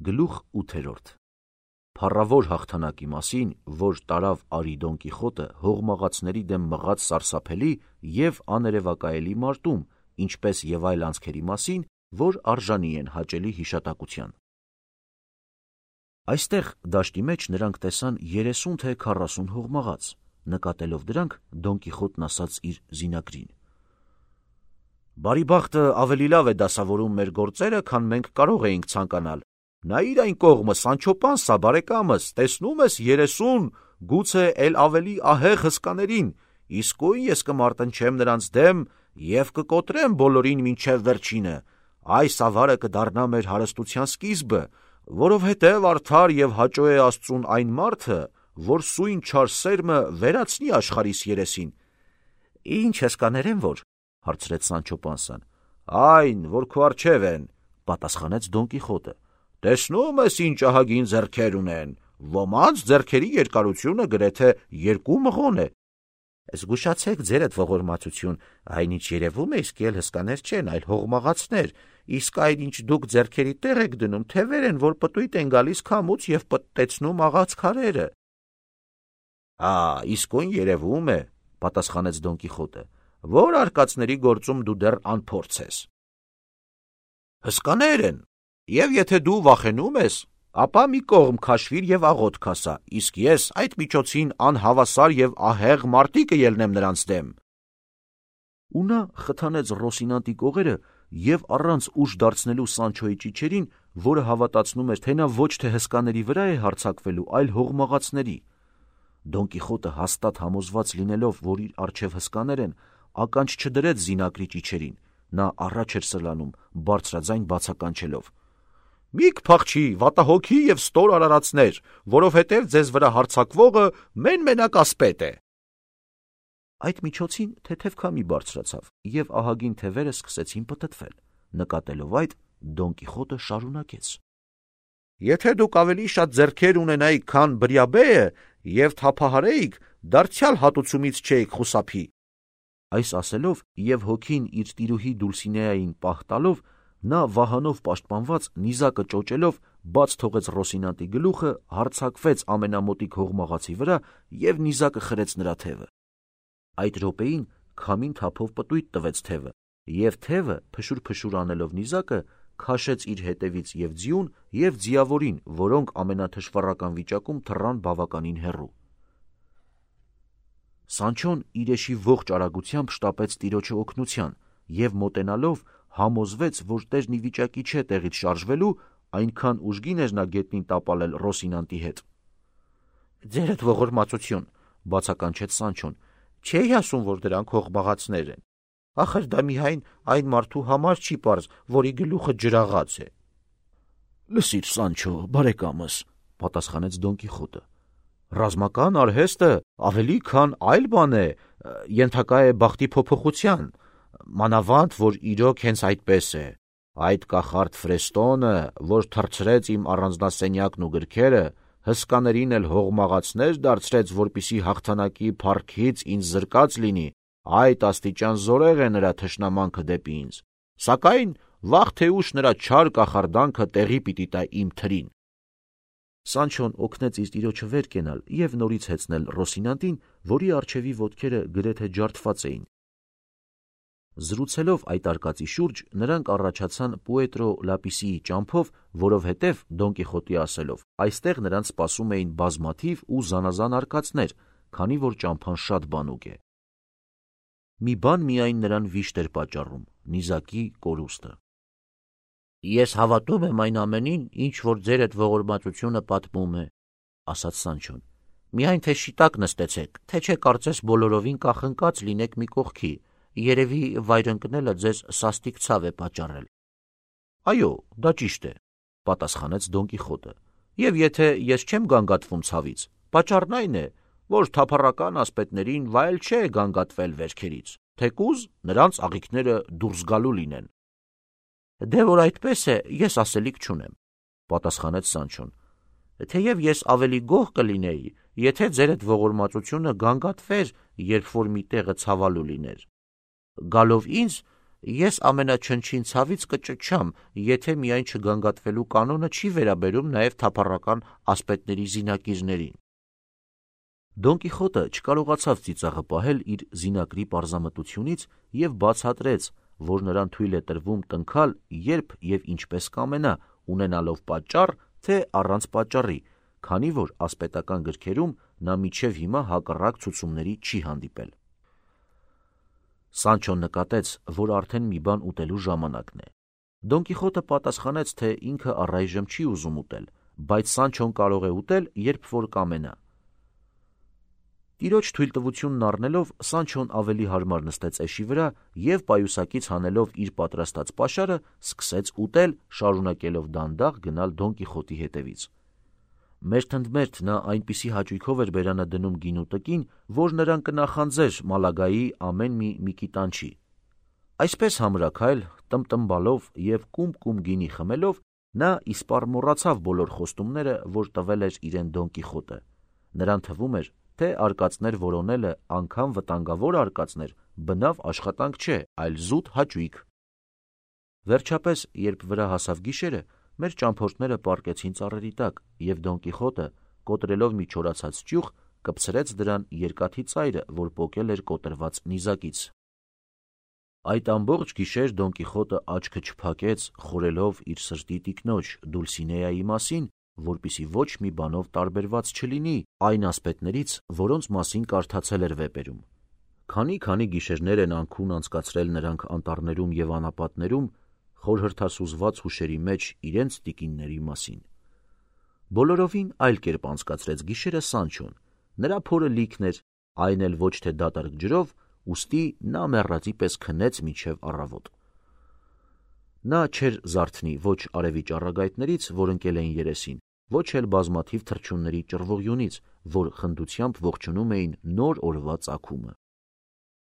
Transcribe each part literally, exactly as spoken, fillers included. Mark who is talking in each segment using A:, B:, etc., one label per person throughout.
A: Գլուխ ութերորդ Փառավոր հաղթանակի մասին, որ տարավ Արի Դոն Կիխոտը հողմաղացների դեմ մղած սարսափելի և աներևակայելի մարտում, ինչպես և այլ անցքերի մասին, որ արժանի են հաճելի հիշատակության։ Այստեղ դաշտի մեջ նրանք տեսան երեսուն թե քառասուն հողմաղաց, նկատելով դրանք Դոն Կիխոտն ասաց իր զինագրին. «Բարի բախտը ավելի լավ է դասավորում մեր գործերը, քան մենք կարող էինք ցանկանալ։ Նայիր այն կողմը, Սանչո Պանսա, բարեկամս, տեսնում ես երեսուն, գուցե էլ ավելի ահեղ հսկաներին, իսկույն ես կմարտնչեմ նրանց դեմ և կկոտրեմ բոլորին մինչև վերջինը, այս ավարը կդառնա մեր հարստության սկիզբը, որովհետև արդար և հաճո է Աստծուն այն մարդը, որ սույն չար սերմը վերացնի աշխարհիս երեսին»։ «Ինչ հսկաներ են որ», հարցրեց Սանչո Պանսան։ «Այն, որ քո առջև են», պատասխանեց Դոն Կիխոտը։ «Տեսնում ես ինչ ահագին ձեռքեր ունեն, ոմանց ձեռքերի երկարությունը գրեթե երկու մղոն է»։ «Զգուշացեք ձերդ ողորմածություն, այնինչ երևում է իսկ էլ հսկաներ չեն, այլ հողմաղացներ, իսկ այն ինչ դուք ձեռքերի տեղ եք դնում, թևեր են, որ պտույտ են գալիս քամուց և պտտեցնում աղաց քարերը»։ «Ա, իսկույն երևում է», պատասխանեց Դոն Կիխոտը, «որ արկածների գործում դու դեռ անփորձ ես»։ «Հսկաներ են, և եթե դու վախենում ես, ապա մի կողմ քաշվիր և աղոթք ասա, իսկ ես այդ միջոցին անհավասար և ահեղ մարտի կելնեմ նրանց դեմ»։ Ու նա խթանեց Ռոսինանտի կողերը և առանց ուժ դարձնելու Սանչոյի ճիչերին, որը հավատացնում էր, թե նա ոչ թե հսկաների վրա է հարձակվելու, այլ հողմաղացների։ Դոն Կիխոտը հաստատ համոզված լինելով, որ իր առջև հսկաներ են, ականջ չդրեց զինակրի ճիչերին, նա առաջ էր սլանում, բարձրաձայն բացականչելով. «Մի կփախչի, վատահոգի և ստոր արարածներ, որովհետև ձեզ վրա հարձակվողը մեն-մենակ ասպետ է»։ Այդ միջոցին թեթև քամի բարձրացավ, և ահագին թևերը սկսեցին պտտվել։ Նկատելով այդ, Դոն Կիխոտը շարունակեց. «Եթե դուք ավելի շատ ձեռքեր ունենայիք, քան Բրիաբեը, և թափահարեիք, դարձյալ հատուցումից չէիք խուսափի»։ Այս ասելով և հոգին իր տիրուհի Դուլսինեային պահ տալով, նա վահանով պաշտպանված, նիզակը ճոճելով, բաց թողեց Ռոսինանտի գլուխը, հարձակվեց ամենամոտիկ հողմաղացի վրա և նիզակը խրեց նրա թևը։ Այդ րոպեին քամին թափով պտույտ տվեց թևը, և թևը, փշուր-փշուր անելով նիզակը, քաշեց իր հետևից և ձիուն, և ձիավորին, որոնք ամենաթշվառական վիճակում թռան բավականին հեռու։ Սանչոն իրեշի ողջ արագությամբ շտապեց տիրոջը օգնության և մոտենալով համոզվեց, որ տերն ի վիճակի չէ տեղից շարժվելու, այնքան ուժգին էր նա գետնին տապալել Ռոսինանտի հետ։ «Ձերդ ողորմածություն», բացականչեց Սանչոն, «չէի ասում, որ դրանք հողմաղացներ են։ Ախր դա միայն այն մարդու համար չի պարզ, որի գլուխը ջրաղաց է»։ «Լսիր, Սանչո, բարեկամս», պատասխանեց Դոն Կիխոտը, «ռազմական արհեստը ավելի քան այլ բան է, ենթակա է բախտի փոփոխության, մանավանդ որ իրոք հենց այդպես է։ Այդ կախարդ Ֆրեստոնը, որ թռցրեց իմ առանձնասենյակն ու գրքերը, հսկաներին էլ հողմաղացներ դարձրեց, որպեսզի հաղթանակի փառքից ինձ զրկած լինի, այդ աստիճան զորեղ է նրա թշնամանքը դեպի ինձ, սակայն վաղ թե ուշ նրա չար կախարդանքը տեղի պիտի տա իմ թրին»։ Սանչոն օգնեց իր տիրոջը վեր կենալ և նորից հեծնել Ռոսինանտին, որի առջևի ոտքերը գրեթե ջարդված էին։ Զրուցելով այդ արկածի շուրջ, նրանք առաջացան Պուետրո Լապիսիի ճամփով, որովհետև, Դոն Կիխոտի ասելով, այստեղ նրանց սպասում էին բազմաթիվ ու զանազան արկածներ, քանի որ ճամփան շատ բանուկ է։ Մի բան միայն նրան վիշտ էր պատճառում՝ նիզակի կորուստը։ «Ես հավատում եմ այն ամենին, ինչ որ ձերդ ողորմածությունը պատմում է», ասաց Սանչոն։ «Միայն թե շիտակ նստեցեք, թե չէ կարծես բոլորովին կախնկած լինեք մի կողքի, երևի վայր ընկնելը ձեզ սաստիկ ցավ է պատճառել»։ «Այո, դա ճիշտ է», պատասխանեց Դոն Կիխոտը, «և եթե ես չեմ գանգատվում ցավից, պատճառն այն է, որ թափառական ասպետներին վայել չէ գանգատվել վերքերից, թեկուզ նրանց աղիքները դուրս գալու լինեն»։ «Դե որ այդպես է, ես ասելիք չունեմ», պատասխանեց Սանչոն, «թեև ես ավելի գոհ կլինեի, եթե ձերդ ողորմածությունը գանգատվեր, երբ որ մի տեղը ցավալու լիներ։ Գալով ինձ, Ես ամենաչնչին ցավից կճչամ, եթե միայն չգանգատվելու կանոնը չի վերաբերում նաև թափառական ասպետների զինակիրներին։ Դոն Կիխոտը չկարողացավ ծիծաղը պահել իր զինակրի պարզամտությունից և բացատրեց, որ նրան թույլ է տրվում տնքալ, երբ և ինչպես կամենա, ունենալով պատճառ, թե առանց պատճառի, քանի որ ասպետական գրքերում նա մինչև հիմա հակառակ ցուցումների չի հանդիպել։ Սանչոն նկատեց, որ արդեն մի բան ուտելու ժամանակն է։ Դոն Կիխոտը պատասխանեց, թե ինքը առայժմ չի ուզում ուտել, բայց Սանչոն կարող է ուտել, երբ որ կամենա։ Տիրոջ թույլտվությունն առնելով, Սանչոն ավելի հարմար նստեց էշի վրա և պայուսակից հանելով իր պատրաստած պաշարը, սկսեց ուտել, շարունակելով դանդաղ գնալ Դոն Կիխոտի հետևից։ Մերթընդմերթ նա այնպիսի հաճույքով էր բերանը դնում գինու տկին, որ նրան կնախանձեր Մալագայի ամեն մի միկիտանչի։ Այսպես համրաքայլ, տմտմբալով և կում-կում գինի խմելով, նա իսպառ մոռացավ բոլոր խոստումները, որ տվել էր իրեն Դոն Կիխոտը։ Նրան թվում էր, թե արկածներ որոնելը, անգամ վտանգավոր արկածներ, բնավ աշխատանք չէ, այլ զուտ հաճույք։ Վերջապես, երբ վրա հասավ գիշերը, մեր ճամփորդները պառկեցին ծառերի տակ, և Դոն Կիխոտը, կոտրելով մի չորացած ճյուղ, կպցրեց դրան երկաթի ծայրը, որ պոկել էր կոտրված նիզակից։ Այդ ամբողջ գիշեր Դոն Կիխոտը աչքը չփակեց, խորելով իր սրտի տիկնոջ Դուլսինեայի մասին, որպեսզի ոչ մի բանով տարբերված չլինի այն ասպետներից, որոնց մասին կարդացել էր վեպերում։ Քանի-քանի գիշերներ են անքուն անցկացրել նրանք անտառներում և անապատներում, խորհրդասուզված հուշերի մեջ իրենց տիկինների մասին։ Բոլորովին այլ կերպ անցկացրեց գիշերը Սանչոն։ Նրա փորը լիքն էր, այն էլ ոչ թե դատարկ ջրով, ուստի նա մեռածի պես քնեց մինչև առավոտ։ Նա չէր զարթնի ոչ արևի ճառագայթներից, որ ընկել էին երեսին, ոչ էլ բազմաթիվ թռչունների ճռվողյունից, որ խնդությամբ ողջունում էին նոր օրվա ծագումը։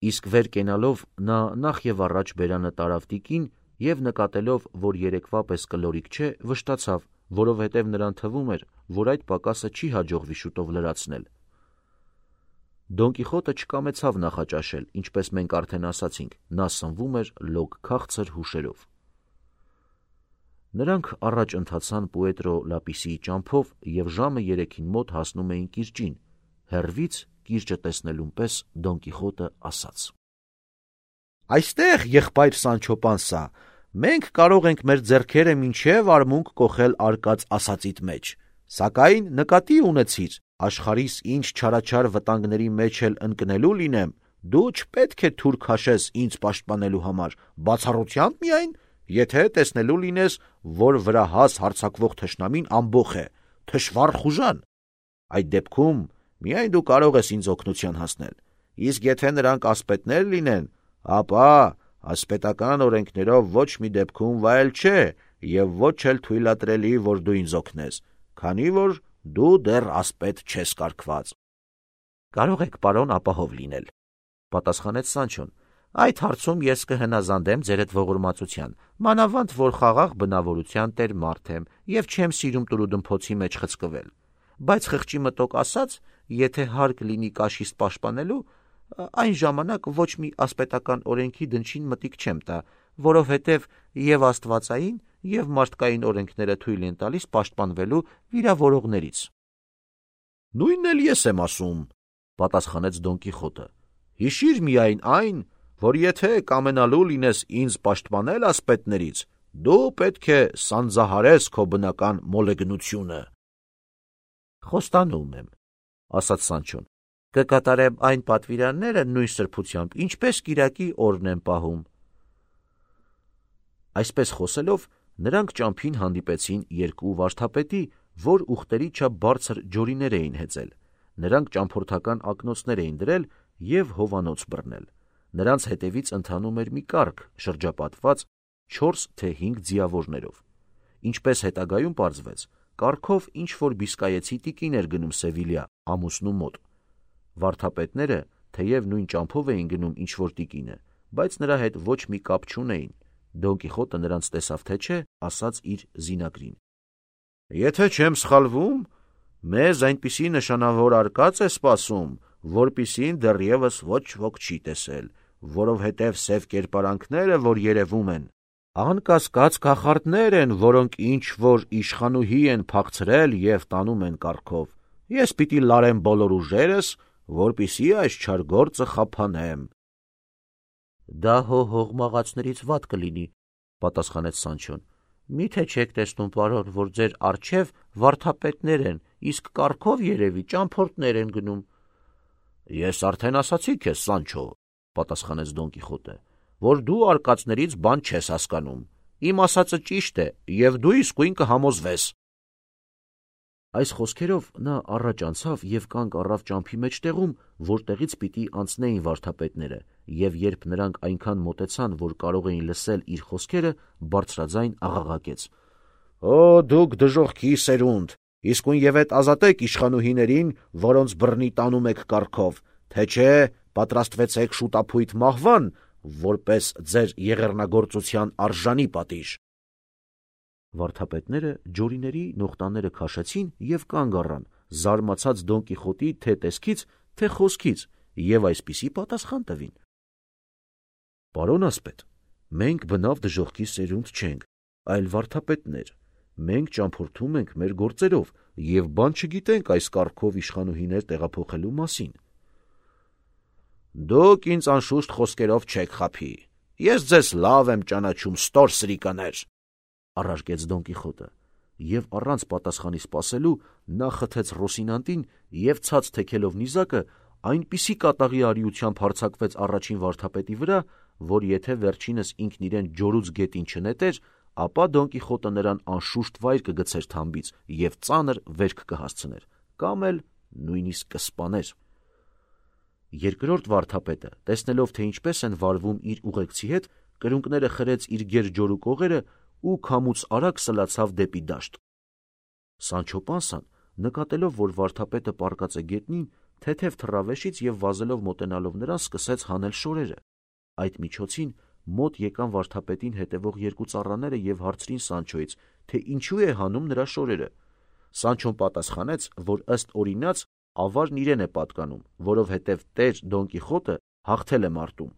A: Իսկ վեր կենալով նա նախ և առաջ բերանը տարավ տիկին և նկատելով, որ երեկվա պես կլորիկ չէ, վշտացավ, որովհետև նրան թվում էր, որ այդ պակասը չի հաջողվի շուտով լրացնել։ Դոն Կիխոտը չկամեցավ նախաճաշել, ինչպես մենք արդեն ասացինք, նա սնվում էր լոկ քաղցր հուշերով։ Նրանք առաջ ընթացան Պուետրո Լապիսիի ճամփով և ժամը երեքին մոտ հասնում էին կիրճին։ Հեռվից կիրճը տեսնելուն պես Դոն Կիխոտը ասաց. «Այստեղ, եղբայր Սանչո Պանսա, մենք կարող ենք մեր ձեռքերը մինչև արմունկ կոխել արկած ասածիդ մեջ, սակայն նկատի ունեցիր, աշխարհիս ինչ չարաչար վտանգների մեջ էլ ընկնելու լինեմ, դու չպետք է թուր քաշես ինձ պաշտպանելու համար, բացառությամբ միայն, եթե տեսնելու լինես, որ վրահաս հարձակվող թշնամին ամբոխ է, թշվառ խուժան։ Այդ դեպքում միայն դու կարող ես ինձ օգնության հասնել, իսկ եթե նրանք ասպետներ լինեն, ապա ասպետական օրենքներով ոչ մի դեպքում վայել չէ և ոչ էլ թույլատրելի, որ դու ինձ օգնես, քանի որ դու դեռ ասպետ չես կարգված»։ «Կարող եք, պարոն, ապահով լինել», պատասխանեց Սանչոն։ «Այդ հարցում ես կհնազանդեմ ձերդ ողորմածության, մանավանդ որ խաղաղ բնավորության տեր մարդ եմ և չեմ սիրում տուրուդմփոցի մեջ խցկվել, բայց խղճի մտոք ասած, եթե հարկ լինի կաշիս պաշտպանելու, այն ժամանակ ոչ մի ասպետական օրենքի դնչին մտիկ չեմ տա, որովհետև և աստվածային, և մարդկային օրենքները թույլ են տալիս պաշտպանվելու վիրավորողներից»։ «Նույնն էլ ես եմ ասում», պատասխանեց Դոն Կիխոտը։ «Հիշիր միայն այն, որ եթե կամենալու լինես ինձ պաշտպանել ասպետներից, դու պետք է սանձահարես քո բնական մոլեգնությունը»։ «Խոստանում եմ», ասաց Սանչոն, «կկատարեմ այն պատվիրանները նույն սրբությամբ, ինչպես կիրակի օրն եմ պահում»։ Այսպես խոսելով, նրանք ճամփին հանդիպեցին երկու վարդապետի, որ ուղտերի չափ բարձր ջորիներ էին հեծել։ Նրանք ճամփորդական ակնոցներ էին դրել և հովանոց բռնել։ Նրանց հետևից ընթանում էր մի կառք, շրջապատված չորս թե հինգ ձիավորներով։ Ինչպես հետագայում պարզվեց, կառքով ինչ-որ բիսկայեցի տիկին էր գնում Սևիլյա, ամուսնու մոտ։ Վարդապետները թեև նույն ճամփով էին գնում ինչ-որ տիկինը, բայց նրա հետ ոչ մի կապ չունեին։ Դոն Կիխոտը նրանց տեսավ թե չէ, ասաց իր զինակրին. «Եթե չեմ սխալվում, մեզ այնպիսի նշանավոր արկած է սպասում, որպիսին դեռևս ոչ ոք չի տեսել, որովհետև սև կերպարանքները, որ երևում են, անկասկած կախարդներ են, որոնք ինչ-որ իշխանուհի են փախցրել և տանում են կառքով։ Ես պիտի լարեմ բոլոր ուժերս, որպեսզի այս չար գործը խափանեմ։ Դա հո հողմաղացներից վատ կլինի, պատասխանեց Սանչոն։ Միթե չեք տեսնում, պարոն, որ ձեր առջև վարդապետներ են, իսկ կառքով երևի ճամփորդներ են գնում։ Ես արդեն ասացի քեզ, Սանչո, պատասխանեց Դոն Կիխոտը, որ դու արկածներից բան չես հասկանում։ Իմ ասածը ճիշտ է, և դու իսկույն կհամոզվես։ Այս խոսքերով նա առաջ անցավ և կանգ առավ ճամփի մեջտեղում, որտեղից պիտի անցնեին վարդապետները, և երբ նրանք այնքան մոտեցան, որ կարող էին լսել իր խոսքերը, բարձրաձայն աղաղակեց. Օ, դուք դժոխքի սերունդ, իսկույն ետ ազատեք իշխանուհիներին, որոնց բռնի տանում եք կառքով, թե չէ պատրաստվեցեք շուտափույթ մահվան, որպես ձեր եղեռնագործության արժանի պատիժ։ Վարդապետները ջորիների նողտաները քաշեցին և կանգ առան, զարմացած Դոն Կիխոտի թե տեսքից, թե խոսքից, և այսպիսի պատասխան տվին. Պարոն ասպետ, մենք բնավ դժոխքի սերունդ չենք, այլ վարդապետներ, մենք ճամփորդում ենք մեր գործերով և բան չգիտենք այս կառքով իշխանուհիներ տեղափոխելու մասին։ Դուք ինձ անշուշտ խոսքերով չեք խաբի, ես ձեզ լավ եմ ճանաչում, ստոր սրիկաներ, առարկեց Դոն Կիխոտը, և առանց պատասխանի սպասելու նա խթեց Ռոսինանտին և ցած թեքելով նիզակը այնպիսի կատաղի արիությամբ հարձակվեց առաջին վարդապետի վրա, որ եթե վերջինս ինքն իրեն ջորուց գետին չնետեր, ապա Դոն Կիխոտը նրան անշուշտ վայր կգցեր թամբից և ծանր վերք կհասցներ, կամ էլ նույնիսկ կսպաներ։ Երկրորդ վարդապետը, տեսնելով, թե ինչպես են վարվում իր ուղեկցի հետ, կրունկները խրեց իր գեր ջորու կողերը ու քամուց արագ սլացավ դեպի դաշտ։ Սանչո Պանսան, նկատելով, որ վարդապետը պառկած է գետնին, թեթև թռավ և վազելով մոտենալով նրան սկսեց հանել շորերը։ Այդ միջոցին մոտ եկան վարդապետին հետևող երկու ծառաները և հարցրին Սանչոյից, թե ինչու է հանում նրա շորերը։ Սանչոն պատասխանեց, որ ըստ օրինաց ավարն իրեն է պատկանում, որովհետև տեր Դոն Կիխոտը հաղթել է մարտում։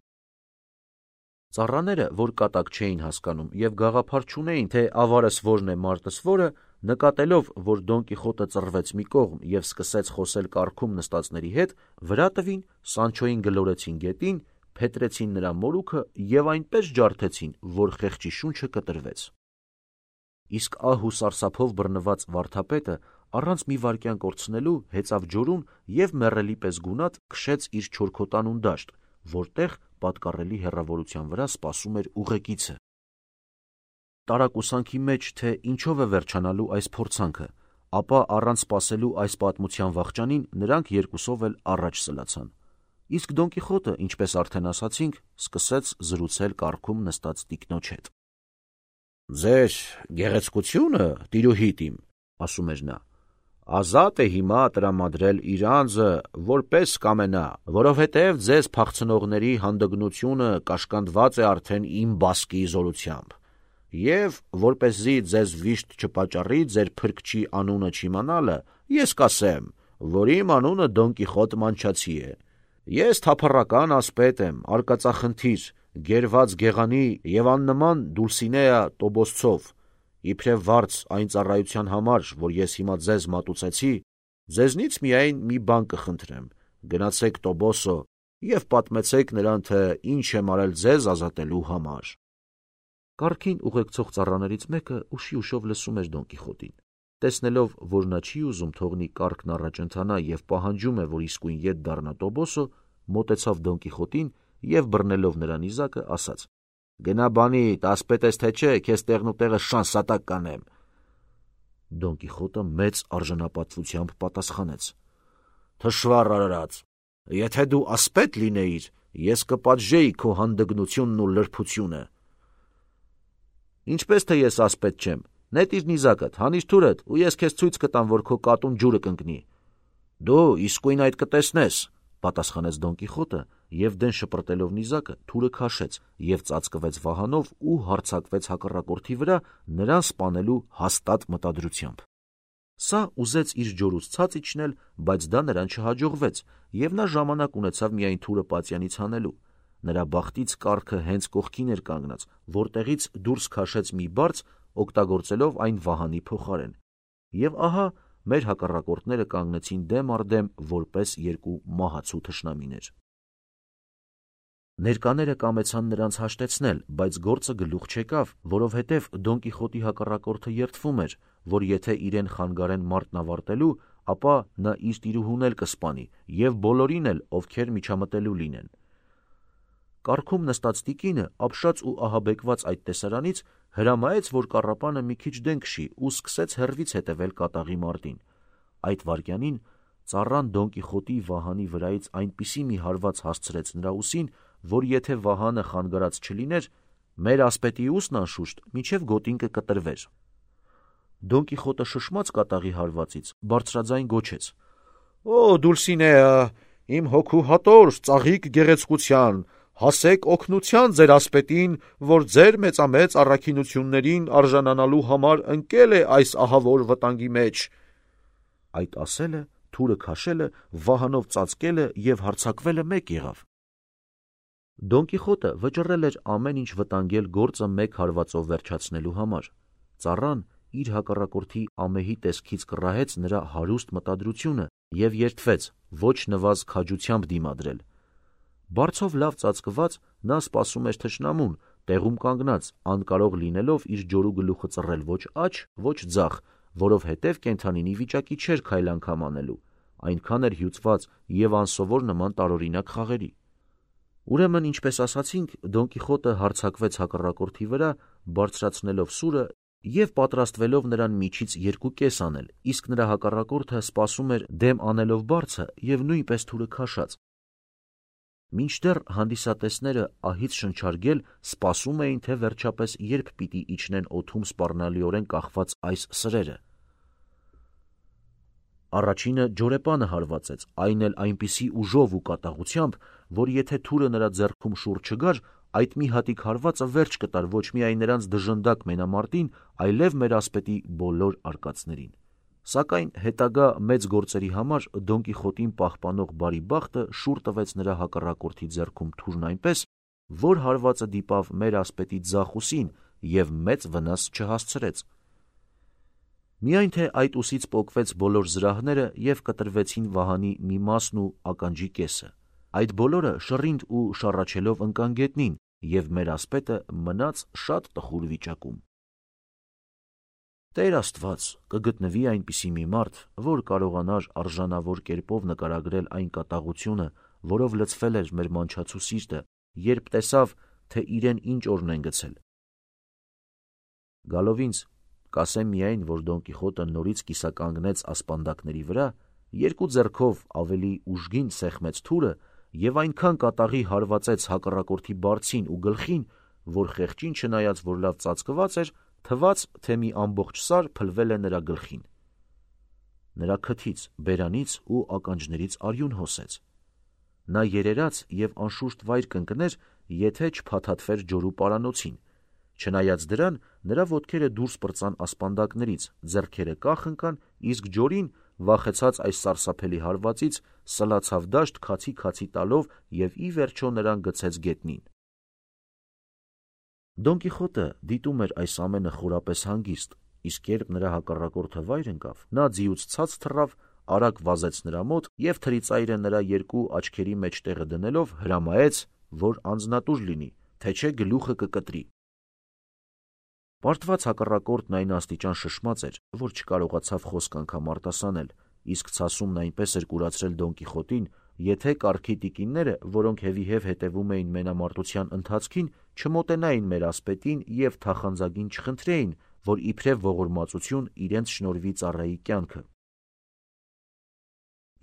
A: Ծառաները, որ կատակ չէին հասկանում և գաղափար չունեին, թե ավարս որն է, մարտս որը, նկատելով, որ Դոն Կիխոտը ծռվեց մի կողմ և սկսեց խոսել կառքում նստածների հետ, վրա տվին, Սանչոյին գլորեցին գետին, փետրեցին նրա մորուքը և այնպես ջարդեցին, որ խեղճի շունչը կտրվեց։ Իսկ ահ ու սարսափով բռնված վարդապետը առանց մի վայրկյան կորցնելու հեծավ ջորում և մեռելի պես գունատ քշեց իր չորքոտանուն դաշտ, որտեղ պատկառելի հեռավորության վրա սպասում էր ուղեկիցը։ Տարակուսանքի մեջ, թե ինչով է վերջանալու այս փորձանքը, ապա առանց սպասելու այս պատմության վախճանին նրանք երկուսով էլ առաջ սլացան։ Իսկ Դոն Կիխոտը, ինչպես արդեն ասացինք, սկսեց զրուցել կառքում նստած տիկնոջ հետ։ Ձեր գեղեցկությունը, տիրուհիդ իմ, ասում էր նա, ազատ է հիմա տրամադրել իր անձը, որպես կամենա, որովհետև ձեզ փախցնողների հանդգնությունը կաշկանդված է արդեն իմ բասկի զորությամբ, և որպեսզի ձեզ վիշտ չպատճառի ձեր փրկչի անունը չիմանալը, ես կասեմ, որ իմ անունը Դոն Կիխոտ Մանչացի է։ Ես թափառական ասպետ եմ, արկածախնդիր, գերված գեղանի և աննման Դուլսինեա Տոբոսցով, իբրև վարձ այն ծառայության համար, որ ես հիմա ձեզ մատուցեցի, ձեզնից միայն մի բան կխնդրեմ, գնացեք Տոբոսո և պատմեցեք նրան, թե ինչ եմ արել ձեզ ազատելու համար։ Կառքին ուղեկցող ծառաներից մեկը ուշի ուշով լսում էր Դոն Կիխոտին։ Տեսնելով, որ նա չի ուզում թողնի կառքն առաջ ընթանա և պահանջում է, որ իսկույն ետ դառնա Տոբոսո, մոտեցավ Դոն Կիխոտին և բռնելով նրա նիզակը, ասաց. Գնա բանիդ, ասպետ ես թե չէ, քեզ տեղնուտեղը շանսատակ կանեմ։ Դոն Կիխոտը մեծ արժանապատվությամբ պատասխանեց. Թշվառ արարած, եթե դու ասպետ լինեիր, ես կպատժեի քո հանդգնությունն ու լրբությունը։ Ինչպես թե ես ասպետ չեմ, նետիր նիզակդ, հանիր թուրդ, ու ես քեզ ցույց կտամ, որ քո կատուն ջուրը կընկնի։ Դու իսկույն այդ կտեսնես, պատասխանեց Դոն Կիխոտը և դեն շպրտելով նիզակը թուրը քաշեց և ծածկվեց վահանով ու հարձակվեց հակառակորդի վրա նրան սպանելու հաստատ մտադրությամբ։ Սա ուզեց իր ջորուց ցած իջնել, բայց դա նրան չհաջողվեց, և նա ժամանակ ունեցավ միայն թուրը պատյանից հանելու։ Նրա բախտից կառքը հենց կողքին էր կանգնած, որտեղից դուրս քաշեց մի բարձ, օգտագործելով այն վահանի փոխարեն։ Եվ ահա մեր հակառակորդները կանգնեցին դեմ առ դեմ որպես երկու մահացու թշնամիներ։ Ներկաները կամեցան նրանց հաշտեցնել, բայց գործը գլուխ չեկավ, որովհետև Դոն Կիխոտի հակառակորդը երդվում էր, որ եթե իրեն խանգարեն մարտն ավարտելու, ապա նա իր տիրուհուն էլ կսպանի և բոլորին էլ, ովքեր միջամտելու լինեն։ Կառքում նստած տիկինը, ապշած ու ահաբեկված այդ տեսարանից, հրամայեց, որ կառապանը մի քիչ դեն քշի ու սկսեց հեռվից հետևել կատաղի մարտին։ Այդ վայրկյանին ծառան Դոն Կիխոտի վահանի վրայից այնպիսի մի հարված հասցրեց նրա ուսին, որ եթե վահանը խանգարած չլիներ, մեր ասպետի ուսն անշուշտ մինչև գոտին կկտրվեր։ Դոն Կիխոտը շշմած կատաղի հարվածից, բարձրաձայն գոչեց. «Օ, Դուլսինեա, իմ հոգու հատոր, ծաղիկ գեղեցկության, հասեք օգնության ձեր ասպետին, որ ձեր մեծամեծ առաքինություններին արժանանալու համար ընկել է այս ահավոր վտանգի մեջ»։ Այդ ասելը, թուրը քաշելը, վահանով ծածկելը և հարձակվելը մեկ եղավ։ Դոն Կիխոտը վճռել էր ամեն ինչ վտանգել գործը մեկ հարվածով վերջացնելու համար։ Ծառան իր հակառակորդի ամեհի տեսքից կռահեց նրա հարուստ մտադրությունը և երդվեց ոչ նվազ քաջությամբ դիմադրել։ Բարձով լավ ծածկված նա սպասում էր թշնամուն, տեղում կանգնած, անկարող լինելով իր ջորու գլուխը ծռել ոչ աջ, ոչ ձախ, որովհետև կենդանինի վիճակի չէր քայլ անգամ անելու, այնքան էր հյուծված և անսովոր նման տարօրինակ խաղերի։ Ուրեմն, ինչպես ասացինք, Դոն Կիխոտը հարձակվեց հակառակորդի վրա, բարձրացնելով սուրը և պատրաստվելով նրան միջից երկու կես անել, իսկ նրա հակառակորդը սպասում էր դեմ անելով բարձը և նույնպես թուրը քաշած։ Մինչդեռ հանդիսատեսները ահից շնչարգել սպասում էին, թե վերջապես երբ պիտի իջնեն օդում սպառնալիորեն կախված այս սրերը։ Առաջինը ջորեպանը հարվածեց, այն էլ այնպիսի ուժով ու կատաղությամբ, որ եթե թուրը նրա ձեռքում շուռ չգար, այդ մի հատիկ հարվածը վերջ կտար ոչ միայն նրանց դժնդակ մենամարտին, այլև մեր ասպետի բոլոր արկածներին։ Սակայն հետագա մեծ գործերի համար Դոն Կիխոտին պահպանող բարի բախտը շուռ տվեց նրա հակառակորդի ձեռքում թուրն այնպես, որ հարվածը դիպավ մեր ասպետի ձախ ուսին և մեծ վնաս չհասցրեց։ Միայն թե այդ ուսից պոկվեց բոլոր զրահները և կտրվեցին վահանի մի մասն ու ականջի կեսը։ Այդ բոլորը շռինդ ու շառաչելով ընկան գետնին, և մեր ասպետը մնաց շատ տխուր վիճակում։ Տեր Աստված, կգտնվի այնպիսի մի մարդ, որ կարողանար արժանավոր կերպով նկարագրել այն կատաղությունը, որով լցվել էր մեր մանչացու սիրտը, երբ տեսավ, թե իրեն ինչ օրն են գցել։ Գալով ինձ, կասեմ միայն, որ Դոն Կիխոտը նորից կիսականգնեց ասպանդակների վրա, երկու ձեռքով ավելի ուժգին սեղմեց թուրը և այնքան կատաղի հարվածեց հակառակորդի բարձին ու գլխին, որ խեղճին չնայած, որ լավ ծածկված էր, թվաց, թե մի ամբողջ սար փլվել է նրա գլխին։ Նրա քթից, բերանից ու ականջներից արյուն հոսեց։ Նա երերաց և անշուշտ վայր կընկներ, եթե չփաթաթվեր ջորու պարանոցին։ Չնայած դրան, նրա ոտքերը դուրս պրծան ասպանդակներից, ձեռքերը կախ ընկան, իսկ ջորին, վախեցած այս սարսափելի հարվածից, սլացավ դաշտ քացի-քացի տալով և ի վերջո նրան գցեց գետնին։ Դոն Կիխոտը դիտում էր այս ամենը խորապես հանգիստ, իսկ երբ նրա հակառակորդը վայր ընկավ, նա ձիուց ցած թռավ, արագ վազեց նրա մոտ և թրիծայրը նրա երկու աչքերի մեջտեղը դնելով հրամայեց, որ անձնատուր լինի, թե չէ գլուխը կկտրի։ Պարտված հակառակորդն այն աստիճան շշմած էր, որ չկարողացավ խոսք անգամ արտասանել, իսկ ցասումն այնպես էր կուրացրել Դոն Կիխոտին, եթե կառքի տիկինները, որոնք հետևիհև հետևում էին մենամարտության ընթացքին, չմոտենային մեր ասպետին և թախանձագին չխնդրեին, որ իբրև ողորմածություն իրենց շնորհվի ծառայի կյանքը։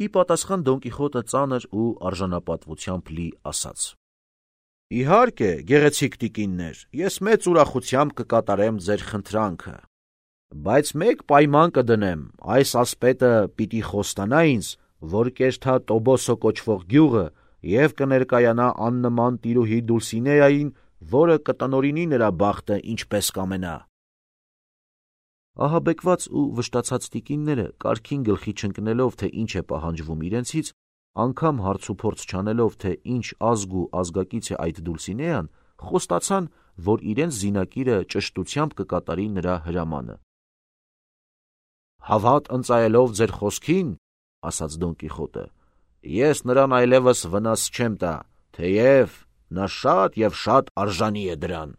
A: Ի պատասխան Դոն Կիխոտը ծանր ու արժանապատվությամբ լի ասաց. «Իհարկե, գեղեցիկ տիկիններ, ես մեծ ուրախությամբ կկատարեմ ձեր խնդրանքը, բայց մեկ պայման կդնեմ, այս ասպետը պիտի խոստանա ինձ, որ կերթա Տոբոսո կոչվող գյուղը և կներկայանա աննման տիրուհի Դուլսինեային, որը կտնօրինի նրա բախտը ինչպես կամենա»։ Ահաբեկված ու վշտացած տիկինները, կառքին գլխի չընկնելով, թե ինչ է պահանջվում իրենցից, անգամ հարց ու փորձ չանելով, թե ինչ ազգ ու ազգակից է այդ Դուլսինեան, խոստացան, որ իրենց զինակիրը ճշտությամբ կկատարի նրա հրամանը։ «Հավատ ընծայելով ձեր խոսքին, — ասաց Դոն Կիխոտը, — ես նրան այլևս վնաս չեմ տա, թեև նա շատ և շատ արժանի է դրան»։